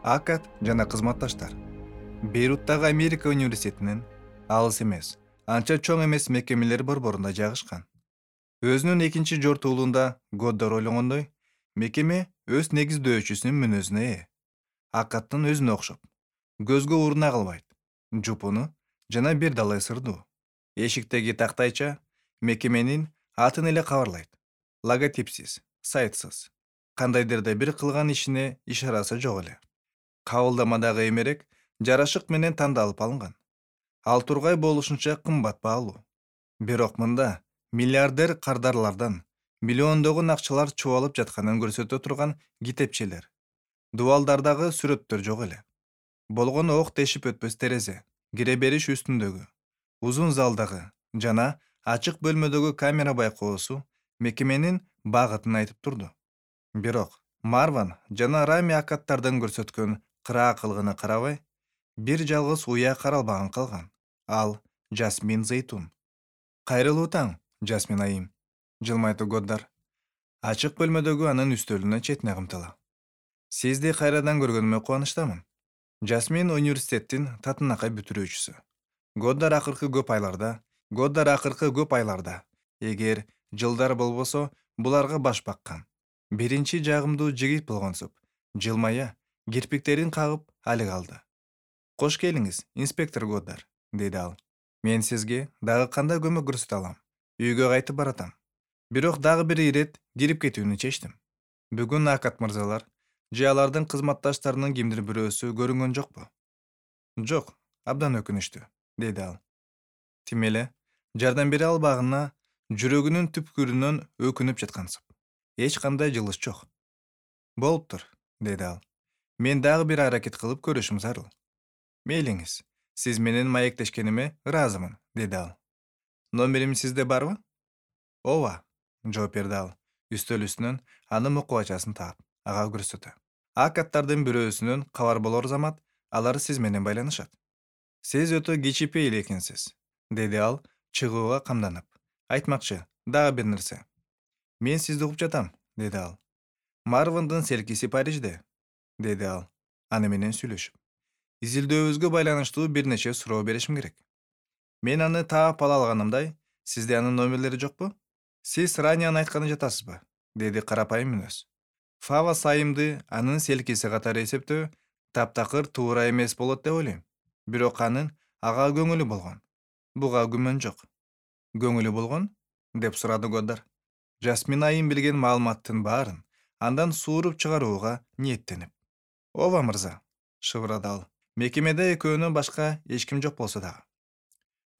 Акат жана кызматташтар. Бейруттагы Америка университетинин алыс эмес, анча чоң эмес мекемелер борборунда жайгашкан. Өзүнүн экинчи жортуулуунда Годдар ойлогондой, мекеме өз негиздөөчүсүнүн мүнөзүнө ээ. Акаттын өзүнө окшоп, көзгө уруна калбайт, жупуну жана бир далай сырдуу. Эшиктеги тактайча мекеменин атын эле кабарлайт. Логотипсиз, сайтсыз, кандайдыр да бир кылган ишине ишарасы жок эле. Кабылдамадагы эмерек жарашык менен тандалып алынган. Ал тургай болушунча кымбат баалуу. Бирок мында миллиардер кардарлардан миллиондогон акчалар чубалып жатканын көрсөтө турган китепчелер, дубалдардагы сүрөттөр жок эле. Болгону ок тешип өтпөс терезе, кире бериш үстүндөгү, узун залдагы жана ачык бөлмөдөгү камера байкоосу мекеменин багытын айтып турду. Бирок Марван жана Рами акаттардын көрсөткөн кыраакылыгына карабай, бир жалгыз уя каралбаган калган. Ал Жасмин Зейтун. Кайрылуу таң, Жасмин айым, жылмайтты Годдар. Ачык бөлмөдөгү анын үстөлүнө четине кымтыла. Сизди кайрадан көргөнүмө кубанычтамын. Жасмин университеттин татынакай бүтүрүүчүсү. Годдар акыркы көп айларда, эгер жылдар болбосо, буларга баш баккан. Биринчи жагымдуу жигит болгонсуп, жылмая, кирпиктерин кагып алык алды. Кош келиңиз, инспектор Годдар, деди ал. Мен сизге дагы кандай көмөк көрсөтө алам? Үйгө кайтып баратам. Бирок дагы бир ирет кирип кетүүнү чечтим. Бүгүн Акат мырзалар же алардын кызматташтарынын кимдир бирөөсү көрүнгөн жокпу? Жок, абдан өкүнүчтүү, деди ал. Тим эле жардам бере албаганына жүрөгүнүн түпкүрүнөн өкүнүп жаткансып. Эч кандай жылыш жок. Болуптур, деди ал. Мен дагы бир аракет кылып көрүшүм зарыл. Мейлиңиз, сиз менен маектешкениме ыраазымын, деди ал. Номерим сизде барбы? Ооба, жооп берди ал. Үстөл үстүнөн анын мукубачасын таап, ага көрсөтө. Акаттардын бирөөсүнөн кабар болор замат, алар сиз менен байланышат. Сиз өтө кичипейил экенсиз, деди ал, чыгууга камданып. Айтмакчы, дагы бир нерсе. Мен сизди угуп жатам, деди ал. Марвандын селкиси Парижде, деди ал, аны менен сүйлөшүп. Изилдөөбүзгө байланыштуу бир нече суроо беришим керек. Мен аны таап ала алганымдай, сизде анын номерлери жокпу? Сиз Ранияны айтканы жатасызбы? Деди карапайым мүнөз. Фава сайымды анын селкиси катары эсептөө таптакыр туура эмес болот деп ойлойм. Бирок анын ага көңүлү болгон. Буга күмөн жок. Көңүлү болгон? Деп сурады Годдар. Жасмин айым билген маалыматтын баарын андан сууруп чыгарууга ниеттенип. Ооба мырза, шыбырады ал. Мекемеде экөөнөн башка эч ким жок болсо дагы.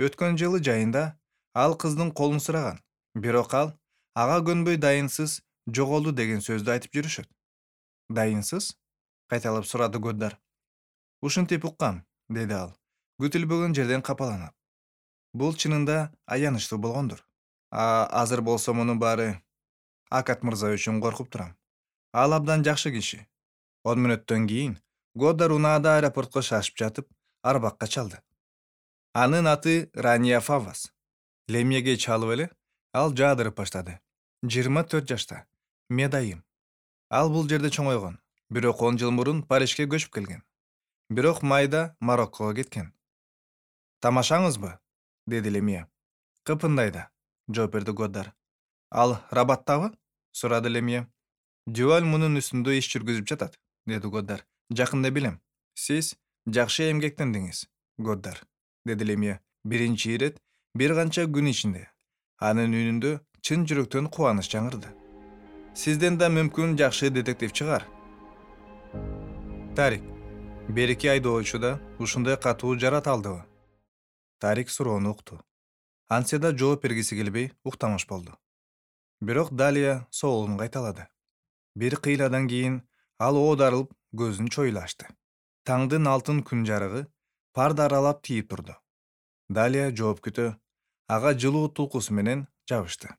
Өткөн жылы жайында ал кыздын колун сураган, бирок ал ага көнбөй дайынсыз жоголду деген сөздү айтып жүрүшөт. Дайынсыз? Кайталап сурады Годдар. Ушинтип уккам, деди ал, күтүлбөгөн жерден капаланып. Бул чынында аянычтуу болгондур. Азыр болсо мунун баары Акат мырза үчүн коркуп турам. Ал абдан жакшы киши. 10 мүнөттөн кийин Годдар унаада аэропортко шашып жатып, арбакка чалды. Анын аты Рания Фаввас. Лемьеге чалып эле ал жаадырып баштады. 24 жашта, медайым. Ал бул жерде чоңойгон, бирок 10 жыл мурун Парижге көчүп келген. Бирок майда Мароккого кеткен. Тамашаңызбы? Деди Лемье. Кыпындайда, жооп берди Годдар. Ал Рабаттабы? Сурады Лемье. Дюваль мунун үстүндө иш жүргүзүп жатат, деди Годдар. Жакында билем. Сиз жакшы эмгектендиңиз, Годдар, деди Лемье. Биринчи ирет бир канча күн ичинде. Анын үнүндө чын жүрөктөн кубаныч жаңырды. Сизден да мүмкүн жакшы детектив чыгар. Тарик, берки айдоочуда ушундай катуу жарата алдыбы? Тарик суроону укту. Антсе да жооп бергиси келбей уктамыш болду. Бирок Далия соолун кайталады. Бир кыйладан кийин ал оодарылып көзүн чоюла ачты. Таңдын алтын күн жарыгы парды аралап тийип турду. Далия жооп күтө, ага жылуу тулкусу менен жабышты.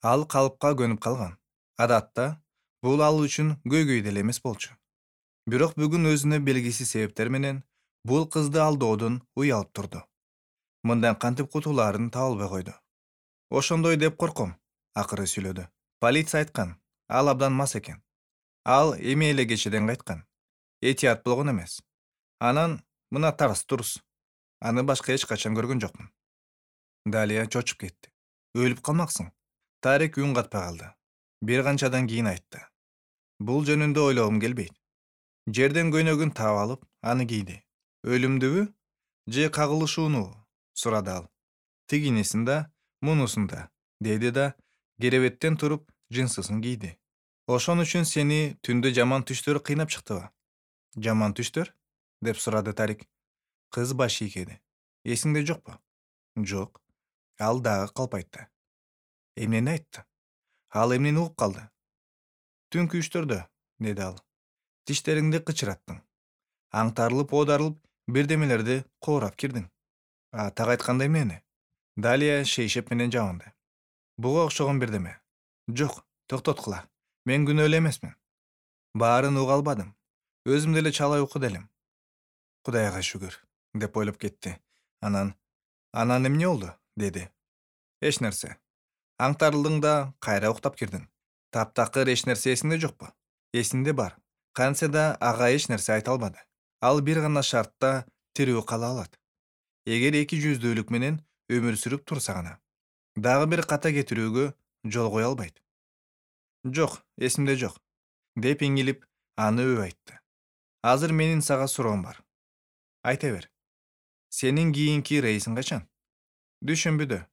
Ал калыпка көнүп калган. Адатта бул ал үчүн көйгөй деле эмес болчу. Бирок бүгүн өзүнө белгисиз себептер менен бул кызды алдоодон уялып турду. Мындан кантип кутулаарын таба албай койду. Ошондой деп корком, акыры сүйлөдү. Полиция айткан, ал абдан мас экен. Ал эми эле кечеден кайткан. этият болгон эмес. Анан мына тарс турс. Аны башка эч качан көргөн жокмун. Далия чочуп кетти. Өлүп калмаксың. Тарик үн катпай калды. Бир канчадан кийин айтты. Бул жөнүндө ойлогум келбейт. Жерден көйнөгүн таап алып, аны кийди. Өлүмдүбү же кагылышуунубу? Сурады ал. Тигинисин да, мунусун да, деди да, керебеттен туруп жынсысын кийди. Ошон үчүн сени түндө жаман түштөр кыйнап чыктыбы? Жаман түштөр? Деп сурады Тарик. Кыз баш ийкеди. Эсиңде жокпу? Жок. Ал дагы калп айтты. Эмнени айтты? Ал эмнени угуп калды? Түнкү үчтөрдө, деди ал. Тиштериңди кычыраттың. Аңтарылып, оодарылып, бирдемелерди коорап кирдиң. Так айтканда эмнени? Далия шейшеп менен жабынды. Буга окшогон бирдеме. Жок, токтоткула. Мен күнөөлүү эмесмин. Баарын уга албадым. Өзүм деле чалай укуд элем. Кудайга шүгүр, деп ойлоп кетти. Анан эмне болду? Деди. Эч нерсе. Аңтарылдың да кайра уктап кирдиң. Таптакыр эч нерсе эсиңде жокпу? Эсинде бар. Кантсе да ага эч нерсе айта албады. Ал бир гана шартта тирүү кала алат. Эгер эки жүздүүлүк менен өмүр сүрүп турса гана. Дагы бир ката кетирүүгө жол кое албайт. Жок, эсимде жок, деп иңилип, аны өп айтты. Азыр менин сага суроом бар. Айта бер. Сенин кийинки рейсиң качан? Дүйшөмбүдө,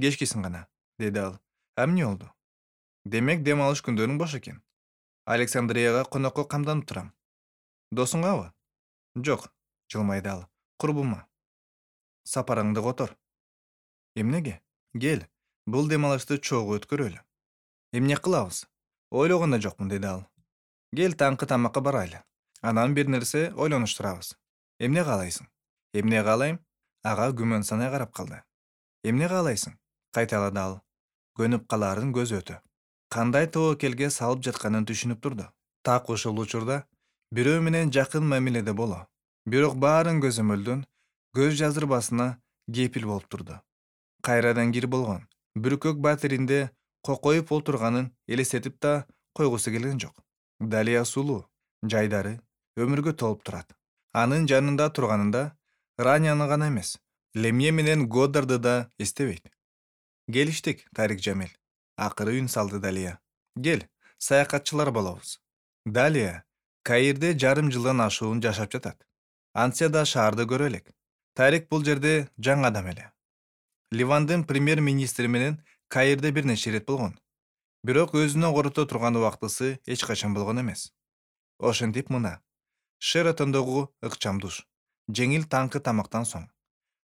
кечкисин гана, деди ал. Эмне болду? Демек дем алыш күндөрүң бош экен. Александрияга конокко камданып турам. Досуңгабы? Жок, жылмайды ал. Курбума. Сапарыңды котор. Эмнеге? Кел, бул дем алышты чогуу өткөрөлү. Эмне кылабыз? Ойлогон да жокмун, деди ал. Кел таңкы тамакка барайлы. Анан бир нерсе ойлонуштурабыз. Эмне каалайсың? Эмне каалайм? Ага күмөн санай карап калды. Эмне каалайсың? Кайталады ал. Көнүп калаарын көз өтө. Кандай тобокелге салып жатканын түшүнүп турду. Так ушул учурда бирөө менен жакын мамиледе боло. Бирок баарын көзөмөлдөн көз жаздырбасына кепил болуп турду. Кайрадан кир болгон бүркөк батиринде кокоюп олтурганын элестетип да койгусу келген жок. Далия сулуу, жайдары, өмүргө толуп турат. Анын жанында турганында Раняны гана эмес, Лемье менен Годдарды да эстебейт. Келиштик, Тарик Жамил. Акыры үн салды Далия. Кел, саякатчылар болобуз. Далия Каирде жарым жылдан ашуун жашап жатат. Антсе да шаарды көрө элек. Тарик бул жерде жаңы адам эле. Ливандын премьер-министри менен Каирде бир нече ирет болгон. Бирок өзүнө корото турган убактысы эч качан болгон эмес. Ошентип мына Шератондогу ыкчам душ, жеңил таңкы тамактан соң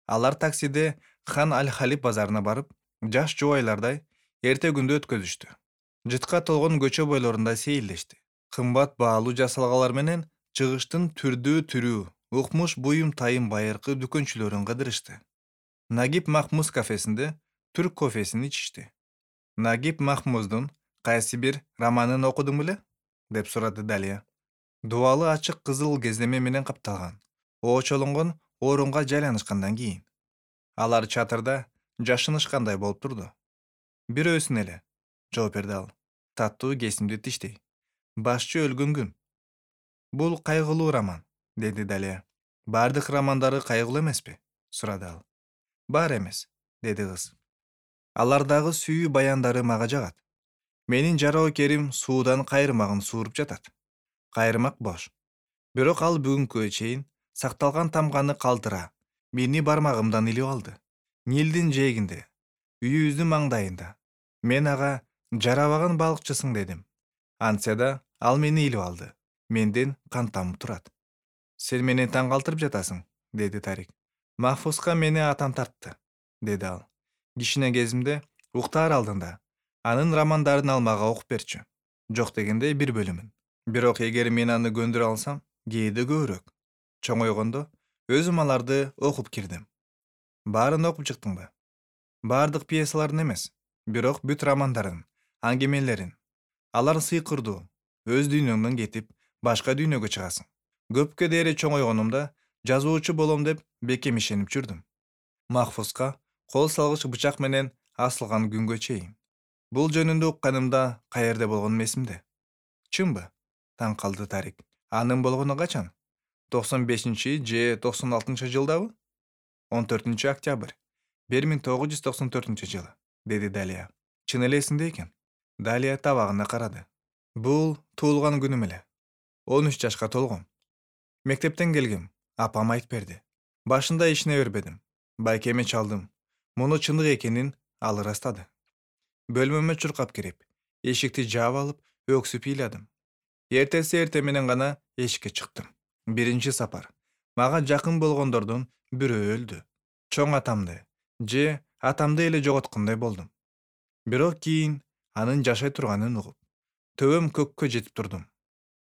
алар таксиде Хан Аль-Халиб базарына барып, жаш жубайлардай эрте күндү өткөзүштү. Жытка толгон көчө бойлорунда сейилдешти. Кымбат баалуу жасалгалар менен чыгыштын түрдүү, укмуш буюм тайым байыркы дүкөнчүлөрүн кыдырышты. Нагиб Махмуз кафесинде түрк кофесин ичишти. Нагиб Махмуздун кайсы бир романын окудуң беле? Деп сурады Далия. Дубалы ачык кызыл кездеме менен капталган, очолонгон орунга жайланышкандан кийин. Алар чатырда жашынышкандай болуп турду. Бирөөсүн эле, жооп берди ал. Таттуу кесимди тиштей. Башчы өлгөн күн. Бул кайгылуу роман, деди Далия. Бардык романдары кайгылуу эмеспи? Сурады ал. Бар эмес, деди кыз. Алардагы сүйүү баяндары мага жагат. Менин жароокерим суудан кайрымагын сууруп жатат. Кайрымак бош. Бирок ал бүгүнкүгө чейин сакталган тамганы калтыра, мени бармагымдан илип алды. Нилдин жээгинде, үйүбүздүн маңдайында. Мен ага жарабаган балыкчысың дедим. Антсе да ал мени илип алды. Менден кан тамып турат. Сен мени таң калтырып жатасың, деди Тарик. Махфузга мени атам тартты, деди ал. Кичине кезимде уктаар алдында анын романдарын алмага окуп берчү. Жок дегенде бир бөлүмүн. Бирок эгер мен аны көндүрө алсам, кээде көбүрөөк. Чоңойгондо өзүм аларды окуп кирдим. Баарын окуп чыктыңбы? Бардык пьесаларын эмес, бирок бүт романдарын, аңгемелерин. Алар сыйкырдуу, өз дүйнөңдөн кетип, башка дүйнөгө чыгасың. Көпкө дээри чоңойгонумда жазуучу болом деп бекем ишенип жүрдүм. Махфузга кол салгыч бычак менен асылган күнгө чейин. Бул жөнүндө укканымда каерде болгонум эсимде. Чынбы? Таң калды Тарик. Анын болгону качан? 95 же 96-жылдабы? 14-октябрь 1994-жылы, деди Далия. Чын эле эсиңде экен. Далия табагына карады. Бул туулган күнүм эле. 13 жашка толгом. Мектептен келгем. Апам айтып берди. Башында ишине бербедим. Байкеме чалдым. Муну чындык экенин ал ырастады. Бөлмөмө чуркап кирип, эшикти жаап алып, өксүп ыйладым. Эртеси менен гана эшикке чыктым. Биринчи сапар. Мага жакын болгондордун бирөө өлдү. Чоң атамды же атамды эле жоготкондой болдум. Бирок кийин анын жашай турганын угуп, төбөм көккө жетип турдум.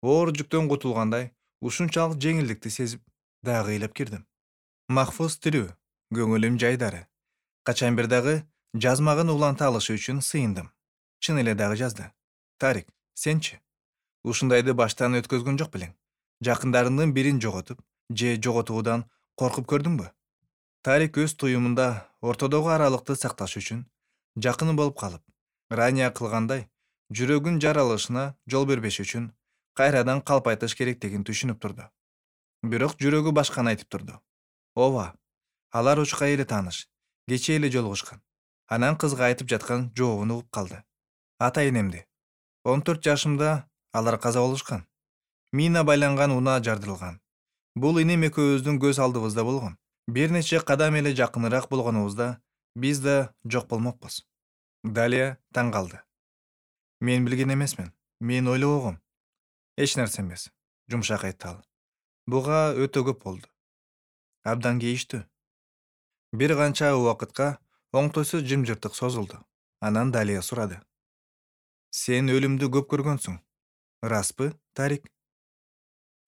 Оор жүктөн кутулгандай, ушунчалык жеңилдикти сезип, дагы ыйлап кирдим. Махфуз тирүү, көңүлүм жайдары. Качан бир дагы жазмагын уланта алышы үчүн сыйындым. Чын эле дагы жазды. Тарик, сенчи? Ушундайды баштан өткөзгөн жок белең. Жакындарыңдын бирин жоготуп же жоготуудан коркуп көрдүңбү? Тарик өз туюмунда ортодогу аралыкты сакташ үчүн жакын болуп калып, Рания кылгандай, жүрөгүн жаралышына жол бербеш үчүн кайрадан калп айтыш керектигин түшүнүп турду. Бирок жүрөгү башканы айтып турду. Ооба, алар учка эле тааныш, кечээ эле жолугушкан. Анан кызга айтып жаткан жообун угуп калды. Ата-энемди. 14 жашымда алар каза болушкан. Мина байланган унаа жардырылган. Бул инем экөөбүздүн көз алдыбызда болгон. Бир нече кадам эле жакыныраак болгонубузда биз да жок болмокпуз. Далия таң калды. Мен билген эмесмин. Мен ойлобогом. Эч нерсе эмес, жумшак айтты ал. Буга өтө көп болду. Абдан кейиштүү. Бир канча убакытка оңтойсуз жымжыртык созулду. Анан Далия сурады. Сен өлүмдү көп көргөнсүң. Распы, Тарик?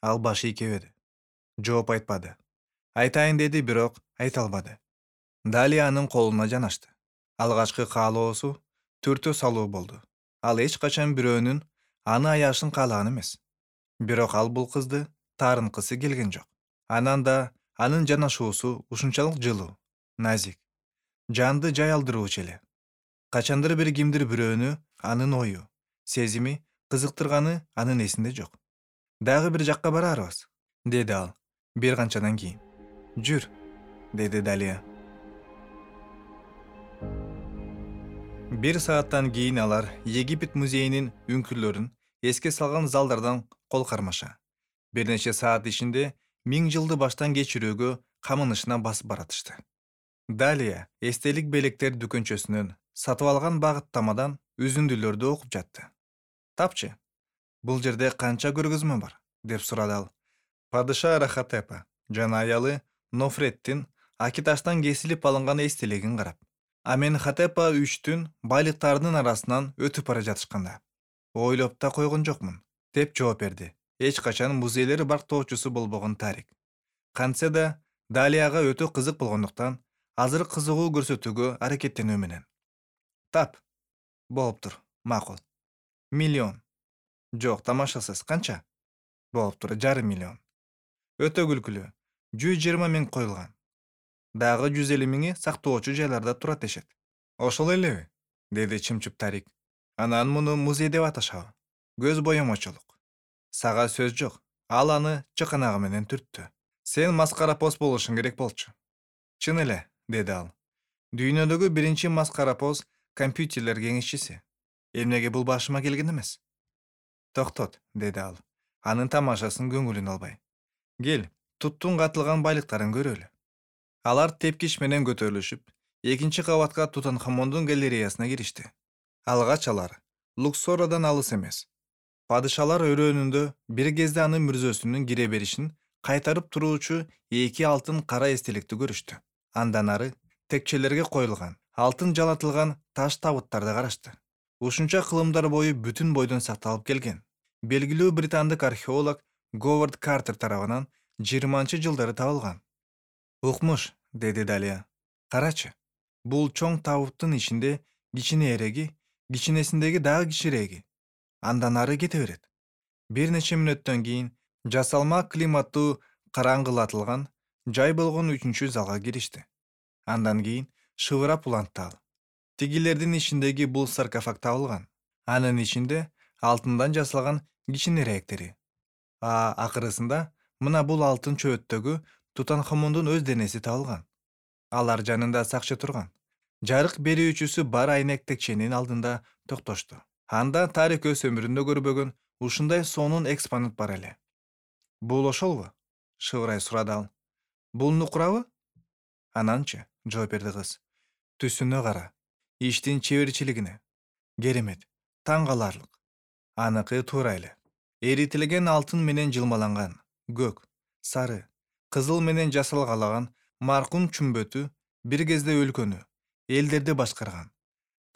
Ал баш ийкебеди. Жооп айтпады. Айтайын деди, бирок айта албады. Далия анын колуна жанашты. Алгачкы каалоосу түртө салуу болду. Ал эч качан бирөөнүн аны аяшын каалаган эмес. Бирок ал бул кызды таарынкысы келген жок. Анан да анын жанашуусу ушунчалык жылуу, назик, жанды жай алдыруучу эле. Качандыр бир кимдир бирөөнү анын ою, сезими кызыктырганы анын эсинде жок. Дагы бир жакка барарбыз, деди ал бир канчадан кийин. Жүр, деди Далия. Бир сааттан кийин алар Египет музейинин үңкүрлөрүн эске салган залдардан кол кармаша. Бир нече саат ичинде 1000 жылды баштан кечирүүгө камынышына басып баратышты. Далия эстелик белектер дүкөнчөсүнөн сатып алган багыттамадан үзүндүлөрдү окуп жатты. Тапчы, бул жерде канча көргөзмө бар? Деп сурады ал. Падыша Рахатепа жана аялы Нофреттин Акиташтан кесилип алынган эстелигин карап. Аменхотепа 3-түн байлыктарынын арасынан өтүп бара жатышканда. Ойлоп да койгон жокмун, деп жооп берди. Эч качан музейлер бактоочусу болбогон Тарик. Кантсе да Далияга өтө кызык болгондуктан азыр кызыгуу көрсөтүүгө аракеттенүү менен. Тап. Болуптур, макул. 1 миллион. Жок, тамашасыз, канча? Болуптур, 500 000. Өтө күлкүлүү. 120 000 коюлган. Дагы 150 000 сактоочу жайларда турат дешет. Ошол элеби? Деди чымчып Тарик. Анан муну музей деп аташабы? Көз боемочулук. Сага сөз жок. Ал аны чыканагы менен түрттү. Сен маскарапоз болушуң керек болчу. Чын эле, деди ал. Дүйнөдөгү биринчи маскарапоз компьютерлер кеңешчиси. Эмнеге бул башыма келген эмес? Токтот, деди ал. Анын тамашасын көңүлүн албай. Кел, туттун катылган байлыктарын көрөлү. Алар тепкич менен көтөрүлүшүп, экинчи кабатка Тутанхамондун галереясына киришти. Алгач алар Луксорадан алыс эмес. Падышалар өрөөнүндө бир кезде анын мүрзөсүнүн кире беришин кайтарып туруучу 2 алтын кара эстеликти көрүштү. Андан ары текчелерге коюлган, алтын жалатылган таш табыттарды карашты. Ушунча кылымдар бою бүтүн бойдон сакталып келген. Белгилүү британдык археолог Говард Картер тарабынан 20-жылдары табылган. Укмуш, деди Далия. Карачы, бул чоң табыттын ичинде кичине эреги, кичинесиндеги дагы кичиреги. Андан ары кете берет. Бир нече мүнөттөн кийин жасалма климаттуу караңгылатылган жай болгон 3-чү залга киришти. Андан кийин шыбырап улантты ал. Тигилердин ичиндеги бул саркофаг табылган. Анын ичинде алтындан жасалган кичинерээктери. Акырысында мына бул алтын чөбөттөгү Тутанхамондун өз денеси табылган. Алар жанында сакчы турган. Жарык берүүчүсү бар айнек текченин алдында токтошту. Анда Тарик өз өмүрүндө көрбөгөн ушундай сонун экспонат бар эле. Бул ошолбу? Шыбырай сурады ал. Бул нукурабы? Ананчы, жооп берди кыз. Түсүнө кара. Иштин чеберчилигине. Керемет. Таң каларлык. Аныкы туура эле. Эритилген алтын менен жылмаланган, көк, сары, кызыл менен жасалгалаган маркум чүмбөтү бир кезде өлкөнү, элдерди башкарган.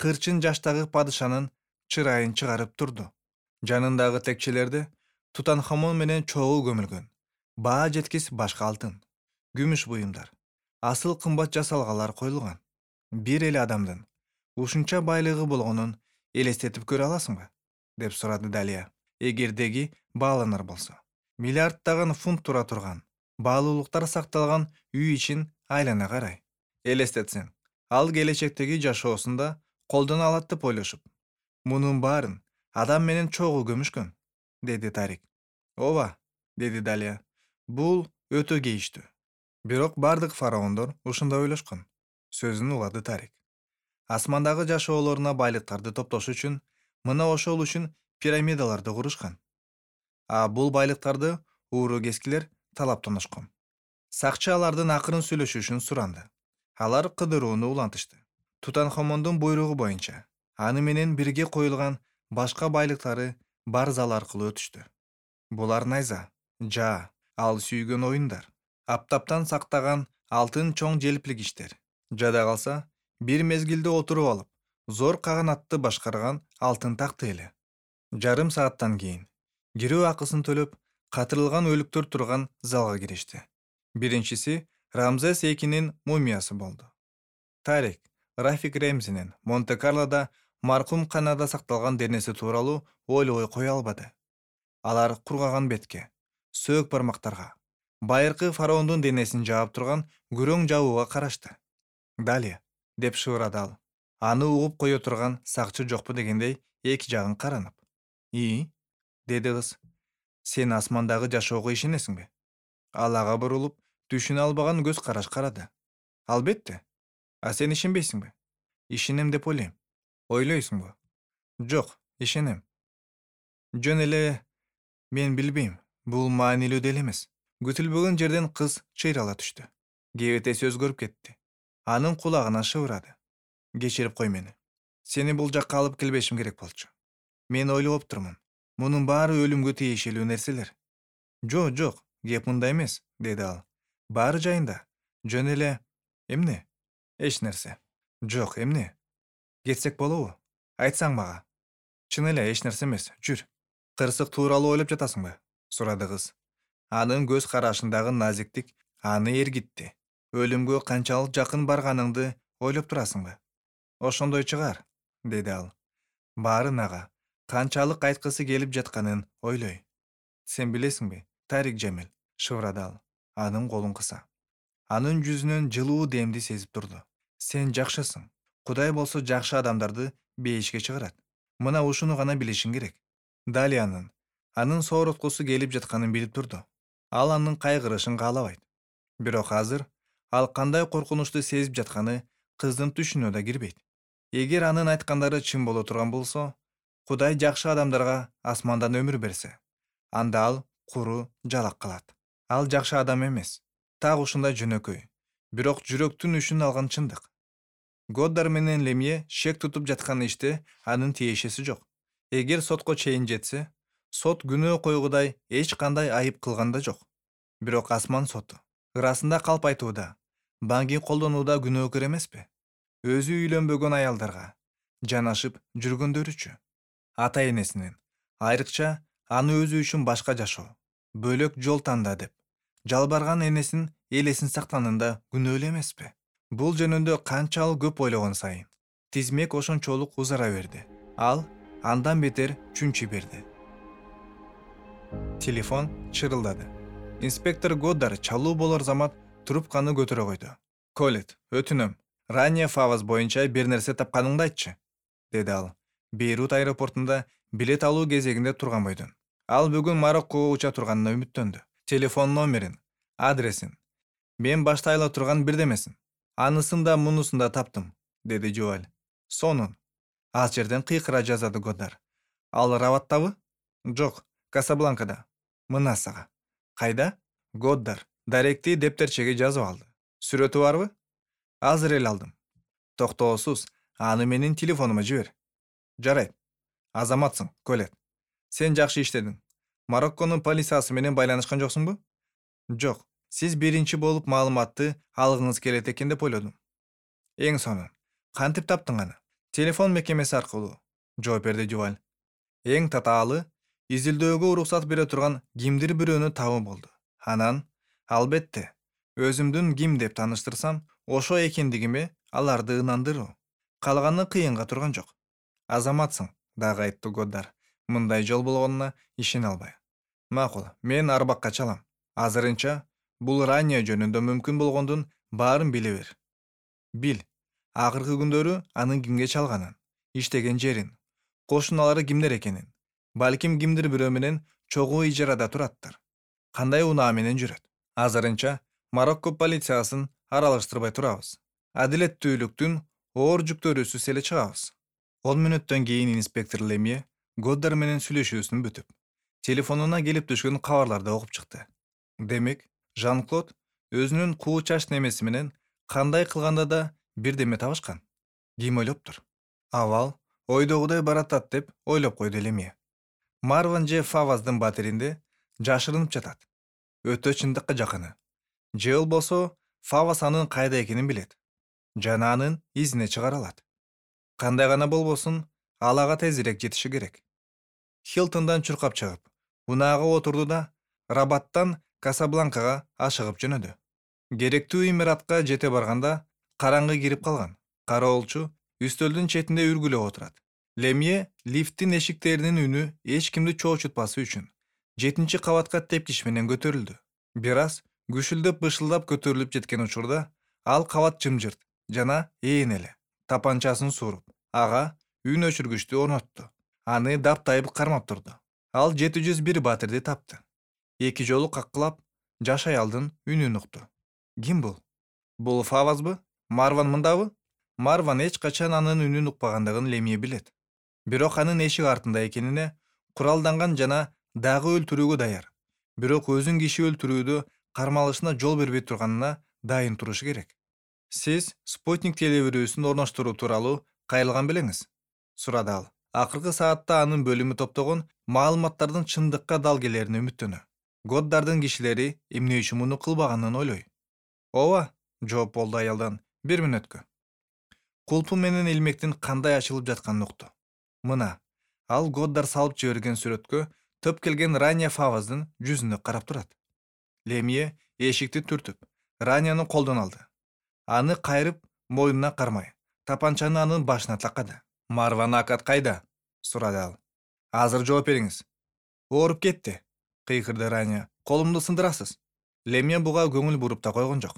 Кырчын жаштагы падышанын чырайын чыгарып турду. Жанындагы текчелерде Тутанхамон менен чогуу көмүлгөн. Баа жеткис башка алтын, күмүш буюмдар, асыл кымбат жасалгалар коюлган. Бир эле адамдын ушунча байлыгы болгонун элестетип көрө аласыңбы? Деп сурады Далия. Эгердеги бааланар болсо. Миллиарддаган фунт тура турган, баалуулуктар сакталган үй ичин айлана карай. Элестетсең, ал келечектеги жашоосунда колдоно алат деп ойлошуп. Мунун баарын адам менен чогуу көмүшкөн, деди Тарик. Ооба, деди Далия. Бул өтө кейиштүү. Бирок бардык фараондор ушундай ойлошкон, сөзүн улады Тарик. Асмандагы жашоолоруна байлыктарды топтош үчүн мына ошол үчүн пирамидаларды курушкан. Бул байлыктарды ууру-кескилер талаптанышкан. Сакчы алардын акырын сүйлөшүшүн суранды. Алар кыдырууну улантышты. Тутанхамондун буйругу боюнча аны менен бирге коюлган башка байлыктары бар зал аркылуу өтүштү. Булар найза, жаа, ал сүйгөн оюндар, аптаптан сактаган алтын чоң желпилгичтер. Жада калса, бир мезгилде отуруп алып, зор каганатты башкарган алтын такты эле. Жарым сааттан кийин кирүү акысын төлөп, катырылган өлүктөр турган залга киришти. Биринчиси Рамзес экинин мумиясы болду. Тарик Рафик Ремзинин Монте-Карлода маркум канада сакталган денеси тууралуу ойлобой кое албады. Алар кургаган бетке, сөөк бармактарга, байыркы фараондун денесин жаап турган күрөң жабууга карашты. Далия, деп шыбырады ал. Аны угуп кое турган сакчы жокпу дегендей эки жагын каранып. Деди кыз. Сен асмандагы жашоого ишенесиңби? Ал ага бурулуп, түшүнө албаган көз караш карады. Албетте. Сен ишенбейсиңби? Ишенем деп ойлойм. Ойлойсуңбу? Жок, ишенем. Жөн эле, мен билбейм, бул маанилүү деле эмес. Күтүлбөгөн жерден кыз чыйрала түштү. Кебетеси өзгөрүп кетти. Анын кулагына шыбырады. Кечирип кой мени. Сени бул жакка алып келбешим керек болчу. Мен ойлоп турмун. Мунун баары өлүмгө тиешелүү нерселер. Жок, кеп мында эмес, деди ал. Баары жайында. Жөн эле, эмне? Эч нерсе. Жок, эмне? Кетсек болобу? Айтсаң мага. Чын эле эч нерсе эмес, жүр. Кырсык тууралуу ойлоп жатасыңбы? Сурады кыз. Анын көз карашындагы назиктик аны эргитти. Өлүмгө канчалык жакын барганыңды ойлоп турасыңбы? Ошондой чыгар, деди ал. Баарын ага канчалык айткысы келип жатканын ойлой. Сен билесиңби, Тарик Жемил, шыбырады ал. Анын колун кыса. Анын жүзүнөн жылуу демди сезип турду. Сен жакшысың. Кудай болсо жакшы адамдарды бейишке чыгарат. Мына ушуну гана билишиң керек. Далиянын анын соороткусу келип жатканын билип турду. Ал анын кайгырышын каалабайт. Бирок азыр ал кандай коркунучту сезип жатканы кыздын түшүнө да кирбейт. Эгер анын айткандары чын боло турган болсо, Кудай жакшы адамдарга асмандан өмүр берсе, анда ал куру жалак калат. Ал жакшы адам эмес. Так ушундай жөнөкөй. Бирок жүрөктүн үшүн алган чындык. Годдар менен Лемье шек тутуп жаткан иште анын тиешеси жок. Эгер сотко чейин жетсе, сот күнөө койгудай эч кандай айып кылган да жок. Бирок асман соту ырасында калп айтууда, банги колдонууда күнөөкөр эмеспи? Өзү үйлөнбөгөн аялдарга жанашып жүргөндөрүчү. Ата энесинин, айрыкча аны өзү үчүн башка жашоо, бөлөк жол танда деп жалбарган энесин элесин сактаганында күнөөлүү эмеспи? Бул жөнүндө канчалык көп ойлогон сайын тизмек ошончолук узара берди. Ал андан бетер чүнчү берди. Телефон чырылдады. Инспектор Годдар чалуу болор замат трубканы көтөрө койду. Колет, өтүнөм, Ранее Фавас боюнча бир нерсе тапканыңды айтчы, деди ал. Бейрут аэропортунда билет алуу кезегинде турган бойдон. Ал бүгүн Мароккого уча турганына үмүттөндү. Телефон номерин, адресин, мен башта айла турган бирдемесин. Анысын да мунусун да таптым, деди Жуаль. Сонун. Ал жерден кыйкыра жазады Годар. Ал Рабаттабы? Жок, Касабланкада. Мына сага. Кайда? Годдар даректи дептерчеге жазып алды. Сүрөтү барбы? Азыр эле алдым. Токтоосуз, аны менин телефонума жибер. Жарайт. Азаматсың, Колет. Сен жакшы иштедиң. Марокконун полициясы менен байланышкан жоксуңбу? Жок. Сиз биринчи болуп маалыматты алгыңыз келет экен деп ойлодум. Эң сонун. Кантип таптың аны? Телефон мекемеси аркылуу. Жооп берди Жуваль. Эң татаалы изилдөөгө уруксат бере турган кимдир бирөөнү табуу болду. Анан, албетте, өзүмдүн ким деп тааныштырсам, ошо экендигиме аларды ынандыруу. Калганы кыйынга турган жок. Азаматсың, дагы айтты Годдар, мындай жол болгонуна ишене албай. Макул, мен арбакка чалам. Азырынча бул Рания жөнүндө мүмкүн болгондун баарын биле бер. Бил, акыркы күндөрү анын кимге чалганын, иштеген жерин, кошуналары кимдер экенин, балким кимдир бирөө менен чогуу ижарада тураттыр. Кандай унаа менен жүрөт. Азырынча Марокко полициясын аралаштырбай турабыз. Адилеттүүлүктүн оор жүктөрүүсүз эле чыгабыз. 10 мүнөттөн кийин инспектор Лемье Годдар менен сүйлөшүүсүн бүтүп, телефонуна келип түшкөн кабарларды окуп чыкты. Демек, Жан-Клод өзүнүн куу чач немеси менен кандай кылганда да бирдеме табышкан. Ким ойлоптур? Абал ойдогудай баратат деп ойлоп койду Лемье. Марван же Фаваздын батиринде жашырынып жатат. Өтө чындыкка жакыны. Же болбосо Фавас анын кайда экенин билет. Жана анын изине чыгара алат. Кандай гана болбосун, ал ага тезирээк жетиши керек. Хилтондан чуркап чыгып, унаага отурду да Рабаттан Касабланкага ашыгып жөнөдү. Керектүү имаратка жете барганда караңгы кирип калган. Кароолчу үстөлдүн четинде үргүлөп отурат. Лемье лифттин эшиктеринин үнү эч кимди чоочутпасы үчүн 7 кабатка тепкич менен көтөрүлдү. Бир аз күшүлдөп бышылдап көтөрүлүп жеткен учурда ал кабат жымжырт жана ээн эле. Тапанчасын сууруп, ага үн өчүргүчтү орнотту. Аны таптайып кармап турду. Ал 701 батирди тапты. 2 жолу каккылап, жаш аялдын үнүн укту. Ким бул? Бул Фавазбы? Марван мындабы? Марван эч качан анын үнүн укпагандыгын Лемье билет. Бирок анын эшик артында экенине куралданган жана дагы өлтүрүүгө даяр. Бирок өзүн киши өлтүрүүдө кармалышына жол бербей турганына дайын турушу керек. Сиз спутник телебирүүсүн орноштуруу тууралуу кайрылган белеңиз? Сурады ал. Акыркы саатта анын бөлүмү топтогон маалыматтардын чындыкка дал келерине үмүттөнө. Годдардын кишилери эмне үчүн муну кылбаганын ойлой. Ооба, жооп болду аялдан. 1 мүнөткө. Кулпу менен илмектин кандай ачылып жатканын укту. Мына, ал Годдар салып жиберген сүрөткө төп келген Рания Фаваздын жүзүнө карап турат. Лемье эшикти түртүп, Раняны колдон алды. Аны кайрып, мойнуна кармай, тапанчаны анын башына такады. Марван Акат кайда? Сурады ал. Азыр жооп бериңиз. Ооруп кетти, кыйкырды Рания. Колумду сындырасыз. Лемье буга көңүл буруп да койгон жок.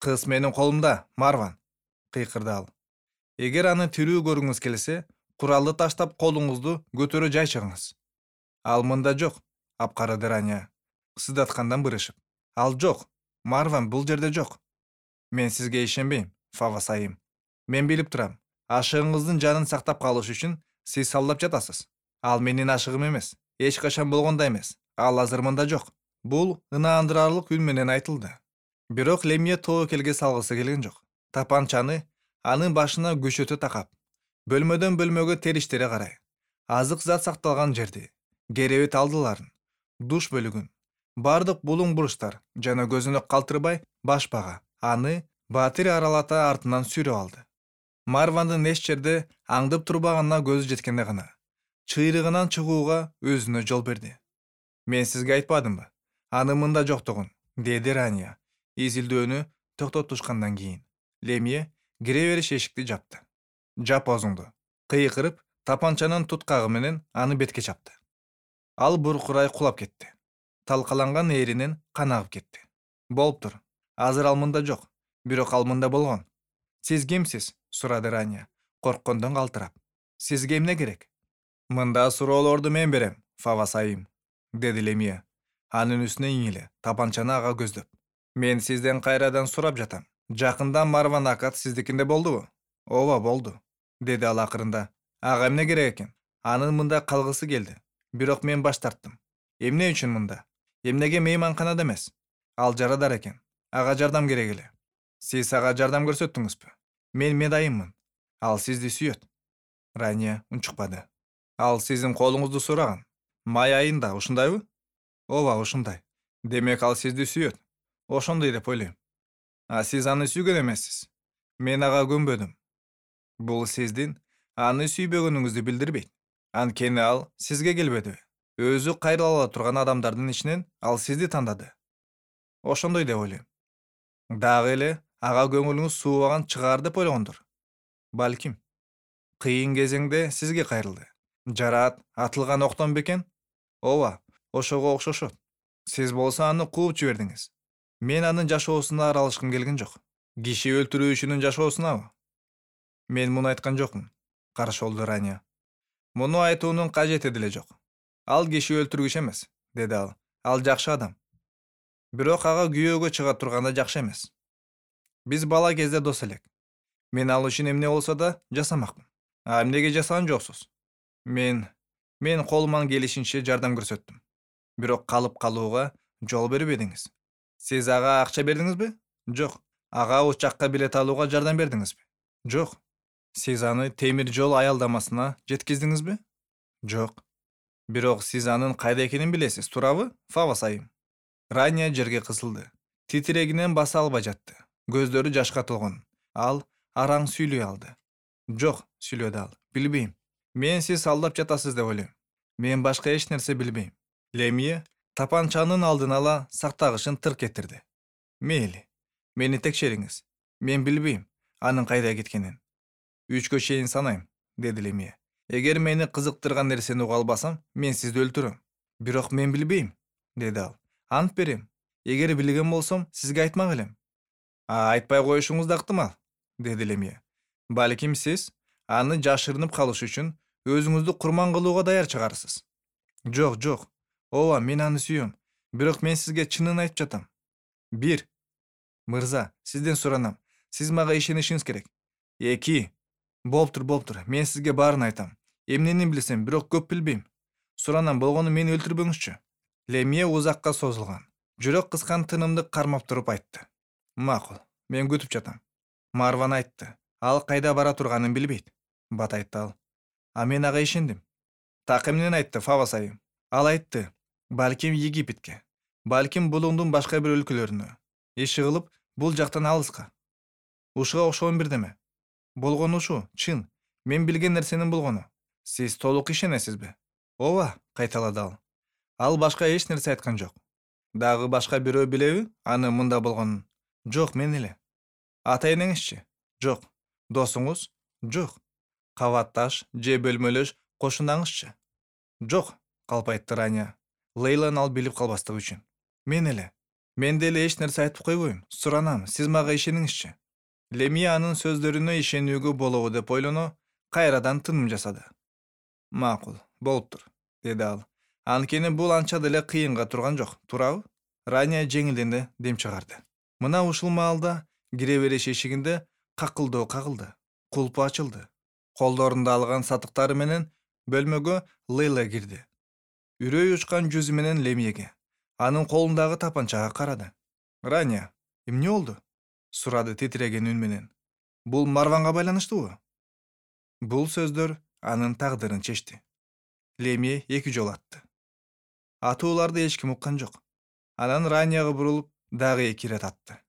Кыз менин колумда, Марван, кыйкырды ал. Эгер аны тирүү көргүңүз келсе, куралды таштап колуңузду көтөрө жай чыгыңыз. Ал мында жок, апкарады Рания, сыздаткандан бырышып. Ал жок, Марван бул жерде жок. Мен сизге ишенбейм, Фавас айым. Мен билип турам. Ашыгыңыздын жанын сактап калыш үчүн сиз салдап жатасыз. Ал менин ашыгым эмес, эч качан болгон да эмес. Ал азыр мында жок. Бул ынаандырарлык үн менен айтылды. Бирок Лемье тобокелге салгысы келген жок. Тапанчаны анын башына көчөтө такап, бөлмөдөн бөлмөгө териштире карай, азык зат сакталган жерди, керебет алдыларын, душ бөлүгүн, бардык булуң буручтар жана көзүнө калтырбай башпага аны батир аралата артынан сүйрөп алды. Марвандын эч жерде аңдып турбаганына көзү жеткенде гана чыйрыгынан чыгууга өзүнө жол берди. Мен сизге айтпадымбы? Аны мында жоктугун, деди Рания, изилдөөнү токтотушкандан кийин. Лемье кире бериш эшикти жапты. Жап оозуңду. Кыйкырып, тапанчанын туткагы менен аны бетке чапты. Ал буркурай кулап кетти. Талкаланган эринен кан агып кетти. Болуптур. Азыр ал мында жок. Бирок ал мында болгон. Сиз кимсиз? Сурады Рания, корккондон калтырап. Сизге эмне керек? Мында суроолорду мен берем, Фавас айым. деди Лемия. Анын үстүнө иңиле, тапанчаны ага көздөп. Мен сизден кайрадан сурап жатам. Жакында Марван Акат сиздикинде болдубу? Ооба, болду, деди ал акырында. Ага эмне керек экен? Анын мында калгысы келди. Бирок мен баш тарттым. Эмне үчүн мында? Эмнеге мейманканада эмес? Ал жарадар экен. Ага жардам керек эле. Сиз ага жардам көрсөттүңүзбү? Мен медайыммын. Ал сизди сүйөт. Рания унчукпады. Ал сиздин колуңузду сураган. Май айында, ушундайбы? Ооба, ушундай. Демек ал сизди сүйөт. Ошондой деп ойлойм. А сиз аны сүйгөн эмессиз. Мен ага көнбөдүм. Бул сиздин аны сүйбөгөнүңүздү билдирбейт. Анткени ал сизге келбедиби? Өзү кайрыла ала турган адамдардын ичинен ал сизди тандады. Ошондой деп ойлойм. Дагы эле ага көңүлүңүз суубаган чыгаар деп ойлогондур. Балким. Кыйын кезеңде сизге кайрылды. Жараат атылган октон бекен? Ооба, ошого окшошот. Сиз болсо аны кууп жибердиңиз. Мен анын жашоосуна аралашкым келген жок. Киши өлтүрүүчүнүн жашоосунабы? Мен муну айткан жокмун. Каршы болду Рания. Муну айтуунун кажети деле жок. Ал киши өлтүргүч эмес, деди ал. Ал жакшы адам. Бирок ага күйөөгө чыга турганда жакшы эмес. Биз бала кезде дос элек. Мен ал үчүн эмне болсо да жасамакмын. А эмнеге жасаган жоксуз? Мен колуман келишинче жардам көрсөттүм. Бирок калып калууга жол бербедиңиз. Сиз ага акча бердиңизби? Жок. Ага учакка билет алууга жардам бердиңизби? Жок. Сиз аны темир жол аялдамасына жеткиздиңизби? Жок. Бирок сиз анын кайда экенин билесиз, туурабы, Фавас айым? Рания жерге кысылды. Титирегинен баса албай жатты. Көздөрү жашка толгон. Ал араң сүйлөй алды. Жок, сүйлөдү ал. Билбейм. Мен сиз алдап жатасыз деп ойлойм. Мен башка эч нерсе билбейм. Лемия тапанчанын алдын ала сактагычын тырк этирди. Мейли. Мени текшериңиз. Мен билбейм анын кайда кеткенин. 3-кө чейин санайм, деди Лемия. Эгер мени кызыктырган нерсени уга албасам, мен сизди өлтүрөм. Бирок мен билбейм, деди ал. Ант берем. Эгер билген болсом, сизге айтмак элем. Айтпай коюшуңуз да ыктымал, деди Лемия. Балким сиз аны жашырынып калыш үчүн өзүңүздү курман кылууга даяр чыгарсыз. Жок, жок. Ооба, мен аны сүйөм. Бирок мен сизге чынын айтып жатам. 1. Мырза, сизден суранам. Сиз мага ишенишиңиз керек. 2. Болуптур. Мен сизге баарын айтам. Эмнени билсем, бирок көп билбейм. Суранам, болгону мени өлтүрбөңүзчү. Лемия узакка созулган, жүрөк кыскан тынымды кармап туруп айтты. Макул, мен күтүп жатам. Марван айтты. Ал кайда бара турганын билбейт. Бат айтты ал. А мен ага ишендим. Так эмнени айтты, Фавас айым? Ал айтты. Балким Египетке. Балким булуңдун башка бир өлкөлөрүнө. Иши кылып, бул жактан алыска. Ушуга окшогон бирдеме. Болгону ушу, чын. Мен билген нерсенин болгону. Сиз толук ишенесизби? Ооба, кайталады ал. Ал башка эч нерсе айткан жок. Дагы башка бирөө билеби аны мында болгонун? Жок, мен эле. Ата энеңизчи? Жок. Досуңуз? Жок. Кабатташ же бөлмөлөш кошунаңызчы? Жок, калп айтты Рания. Лейланы ал билип калбастыгы үчүн. Мен эле. Мен деле эч нерсе айтып койбойм. Суранам, сиз мага ишениңизчи. Лемия анын сөздөрүнө ишенүүгө болобу деп ойлоно, кайрадан тыным жасады. Макул, болуптур, деди ал. Анткени бул анча деле кыйынга турган жок, туурабы? Рания жеңилдене дем чыгарды. Мына ушул маалда кире бериш эшигинде какылдоо кагылды. Кулпу ачылды. Колдорунда алган сатыктары менен бөлмөгө Лейла кирди. Үрөй учкан жүзү менен Лемияге, анын колундагы тапанчага карады. Рания, эмне болду? Сурады титиреген үн менен. Бул Марванга байланыштуубу? Бул сөздөр анын тагдырын чечти. Лемия 2 жолу атты. Атууларды эч ким уккан жок. Анан Ранияга бурулуп, дагы 2 ирет атты.